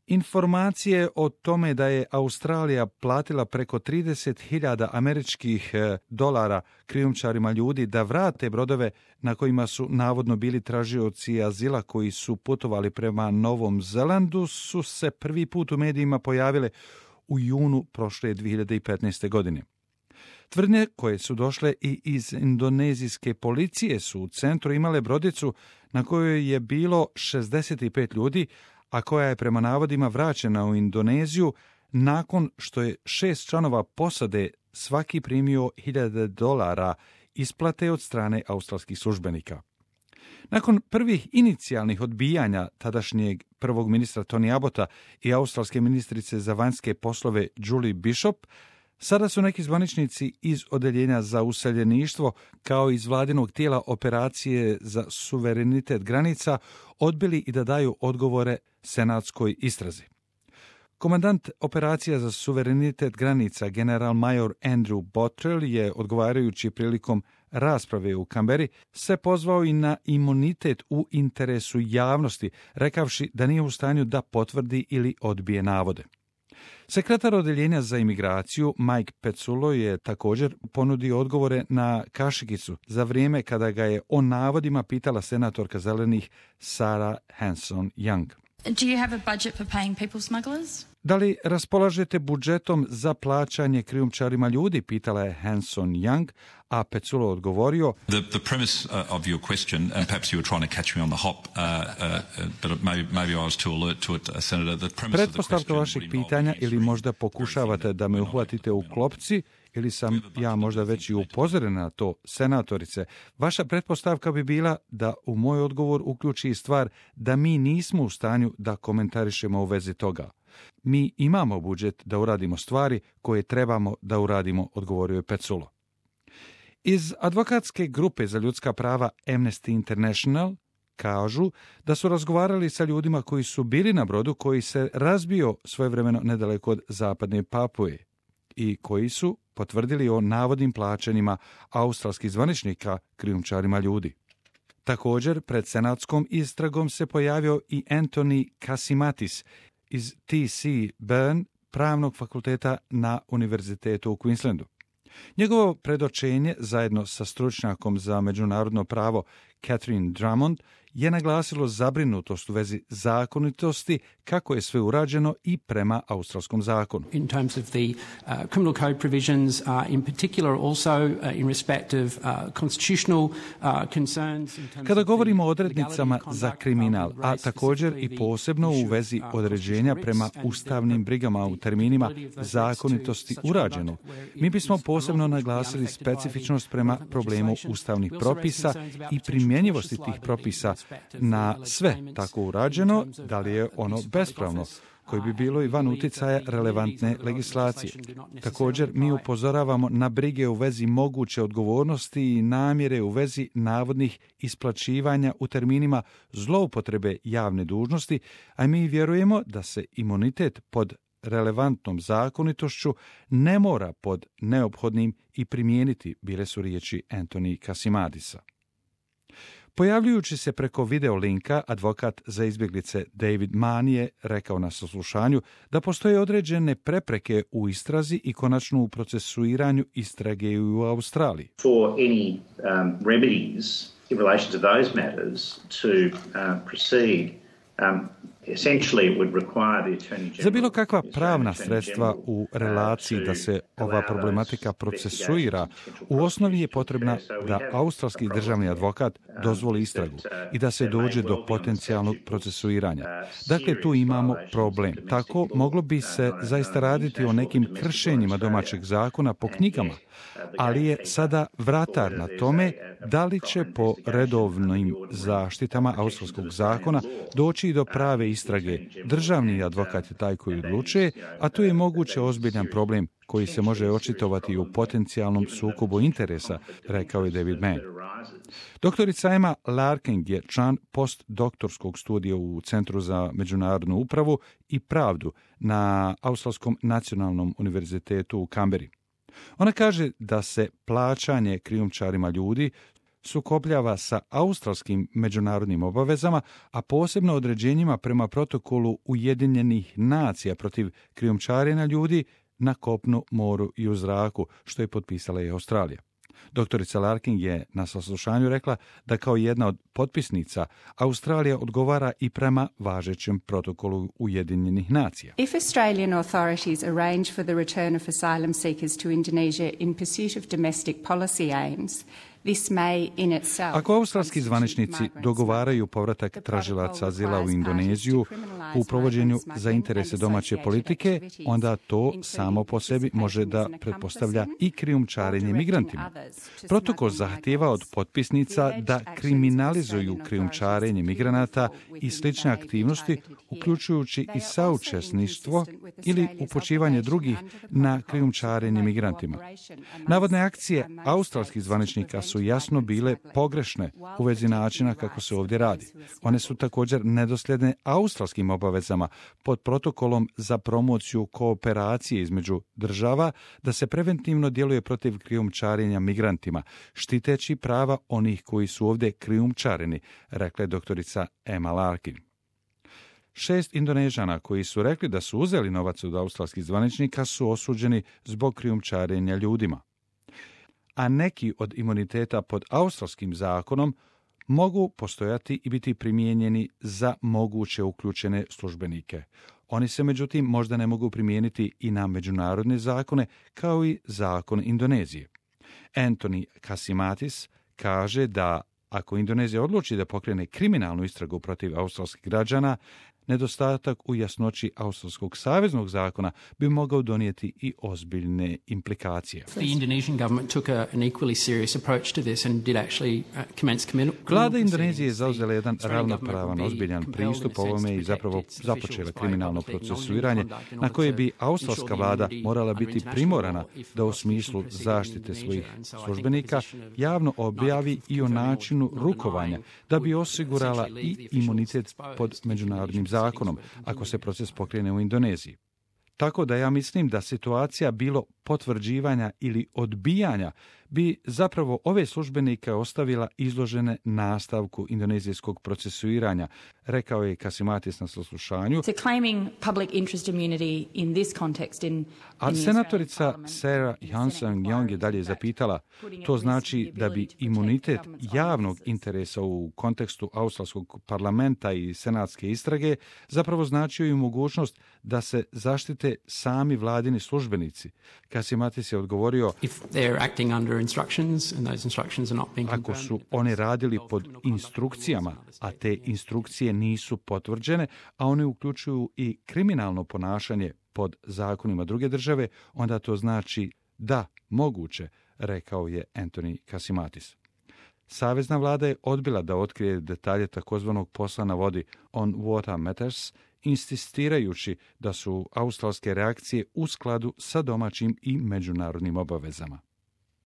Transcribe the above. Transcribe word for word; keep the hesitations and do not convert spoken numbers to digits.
Informacije o tome da je Australija platila preko trideset hiljada američkih dolara krijumčarima ljudi da vrate brodove na kojima su navodno bili tražioci azila koji su putovali prema Novom Zelandu su se prvi put u medijima pojavile u junu prošle dvije hiljade petnaeste. godine. Tvrdnje koje su došle i iz indonezijske policije su u centru imale brodicu na kojoj je bilo šezdeset pet ljudi, a koja je prema navodima vraćena u Indoneziju nakon što je šest članova posade svaki primio hiljade dolara isplate od strane australskih službenika. Nakon prvih inicijalnih odbijanja tadašnjeg prvog ministra Tony Abbotta i australske ministrice za vanjske poslove Julie Bishop, sada su neki zvaničnici iz Odeljenja za useljeništvo kao iz vladinog tijela operacije za suverenitet granica odbili i da daju odgovore senatskoj istrazi. Komandant operacija za suverenitet granica, general major Andrew Bottrell, je odgovarajući prilikom rasprave u Kamberi se pozvao i na imunitet u interesu javnosti, rekavši da nije u stanju da potvrdi ili odbije navode. Sekretar Odeljenja za imigraciju Mike Pezzullo je također ponudio odgovore na kašikicu za vrijeme kada ga je o navodima pitala senatorka zelenih Sarah Hanson-Young. Do you have a budget for paying people smugglers? Da li raspolažete budžetom za plaćanje krijumčarima ljudi, pitala je Hanson-Young, a Pezzullo odgovorio: The, the premise uh, of your question, and perhaps you were trying to catch me on the hop, uh, uh, but maybe, maybe I was too alert to it, uh, Senator. The premise of the Pretpostavka question vašeg would involve pitanja, me ili answering možda pokušavate da me uhvatite u klopci, ili sam ja možda već i upozoren na to, senatorice. Vaša pretpostavka bi bila da u moj odgovor uključi i stvar da mi nismo u stanju da komentarišemo u vezi toga. Mi imamo budžet da uradimo stvari koje trebamo da uradimo, odgovorio je Pezzullo. Iz advokatske grupe za ljudska prava Amnesty International kažu da su razgovarali sa ljudima koji su bili na brodu koji se razbio svojevremeno nedaleko od zapadne Papue i koji su potvrdili o navodnim plaćanjima australskih zvaničnika krijumčarima ljudi. Također, pred senatskom istragom se pojavio i Anthony Kasimatis iz T C Burn, pravnog fakulteta na Univerzitetu u Queenslandu. Njegovo predočenje, zajedno sa stručnjakom za međunarodno pravo Catherine Drummond, je naglasilo zabrinutost u vezi zakonitosti kako je sve urađeno i prema australskom zakonu. In terms of the uh, criminal code provisions, uh, in particular also uh, in respect of uh, constitutional uh, concerns. Kada govorimo o odrednicama za kriminal, a također i posebno u vezi određenja prema ustavnim brigama u terminima zakonitosti urađeno, mi bismo posebno naglasili specifičnost prema problemu ustavnih propisa i primjenjivosti tih propisa na sve tako urađeno, da li je ono bespravno, koji bi bilo i van uticaja relevantne legislacije. Također, mi upozoravamo na brige u vezi moguće odgovornosti i namjere u vezi navodnih isplaćivanja u terminima zloupotrebe javne dužnosti, a mi vjerujemo da se imunitet pod relevantnom zakonitošću ne mora pod neophodnim i primijeniti, bile su riječi Anthony Kasimadisa. Pojavljujući se preko video linka, advokat za izbjeglice David Mann je rekao na saslušanju da postoje određene prepreke u istrazi i konačno u procesuiranju istrage u Australiji. For any um, remedies in relation to those matters to uh, proceed, um, Za bilo kakva pravna sredstva u relaciji da se ova problematika procesuira, u osnovi je potrebna da australski državni advokat dozvoli istragu i da se dođe do potencijalnog procesuiranja. Dakle, tu imamo problem. Tako moglo bi se zaista raditi o nekim kršenjima domaćeg zakona po knjigama, ali je sada vratar na tome da li će po redovnim zaštitama australskog zakona doći do prave istrage. Državni advokat je taj koji odlučuje, a tu je moguće ozbiljan problem koji se može očitovati u potencijalnom sukobu interesa, rekao je David Mann. Doktorica Emma Larkin je član postdoktorskog studija u Centru za međunarodnu upravu i pravdu na Australskom nacionalnom univerzitetu u Kamberi. Ona kaže da se plaćanje krijumčarima ljudi sukobljava sa australskim međunarodnim obavezama, a posebno određenjima prema protokolu Ujedinjenih nacija protiv krijumčarenja ljudi na kopnu, moru i u zraku, što je potpisala i Australija. Doktorica Larkin je na saslušanju rekla da kao jedna od potpisnica Australija odgovara i prema važećem protokolu Ujedinjenih nacija. If Australian authorities arrange for the return of asylum seekers to Indonesia in pursuit of domestic policy aims, this may in itself. Ako australski zvaničnici dogovaraju povratak tražilaca azila u Indoneziju u provođenju za interese domaće politike, onda to samo po sebi može da pretpostavlja i krijumčarenje migrantima. Protokol zahtijeva od potpisnica da kriminalizuju krijumčarenje migranata i slične aktivnosti, uključujući i saučesništvo ili upućivanje drugih na krijumčarenje migrantima. Navodne akcije australskih zvaničnika su jasno bile pogrešne u vezi načina kako se ovdje radi. One su također nedosljedne australskim obavezama pod protokolom za promociju kooperacije između država da se preventivno djeluje protiv krijumčarenja migrantima, štiteći prava onih koji su ovdje krijumčareni, rekla je doktorica Emma Larkin. Šest Indonežana koji su rekli da su uzeli novac od australskih zvaničnika su osuđeni zbog krijumčarenja ljudima. A neki od imuniteta pod australskim zakonom mogu postojati i biti primijenjeni za moguće uključene službenike. Oni se međutim možda ne mogu primijeniti i na međunarodne zakone kao i zakon Indonezije. Anthony Kasimatis kaže da ako Indonezija odluči da pokrene kriminalnu istragu protiv australskih građana, nedostatak u jasnoći australskog saveznog zakona bi mogao donijeti i ozbiljne implikacije. The Indonesian government took a, an equally serious approach to this and did actually uh, commence criminal. Vlada Indonezije je zauzela jedan ravnopravan, ozbiljan pristup ovome i zapravo započela kriminalno procesuiranje na koje bi australska vlada morala biti primorana da u smislu zaštite svojih službenika javno objavi i o načinu rukovanja da bi osigurala i imunitet pod međunarodnim zakonom ako se proces pokrene u Indoneziji. Tako da ja mislim da situacija bilo potvrđivanja ili odbijanja bi zapravo ove službenike ostavila izložene nastavku indonezijskog procesuiranja, rekao je Kasimatis na saslušanju. A senatorica Sarah Johnson-Young je dalje zapitala, to znači da bi imunitet javnog interesa u kontekstu australskog parlamenta i senatske istrage zapravo značio i mogućnost da se zaštite sami vladini službenici. Kasimatis je odgovorio, ako su oni radili pod instrukcijama, a te instrukcije nisu potvrđene, a one uključuju i kriminalno ponašanje pod zakonima druge države, onda to znači da, moguće, rekao je Anthony Kasimatis. Savezna vlada je odbila da otkrije detalje takozvanog posla na vodi On Water Matters, insistirajući da su australske reakcije u skladu sa domaćim i međunarodnim obavezama.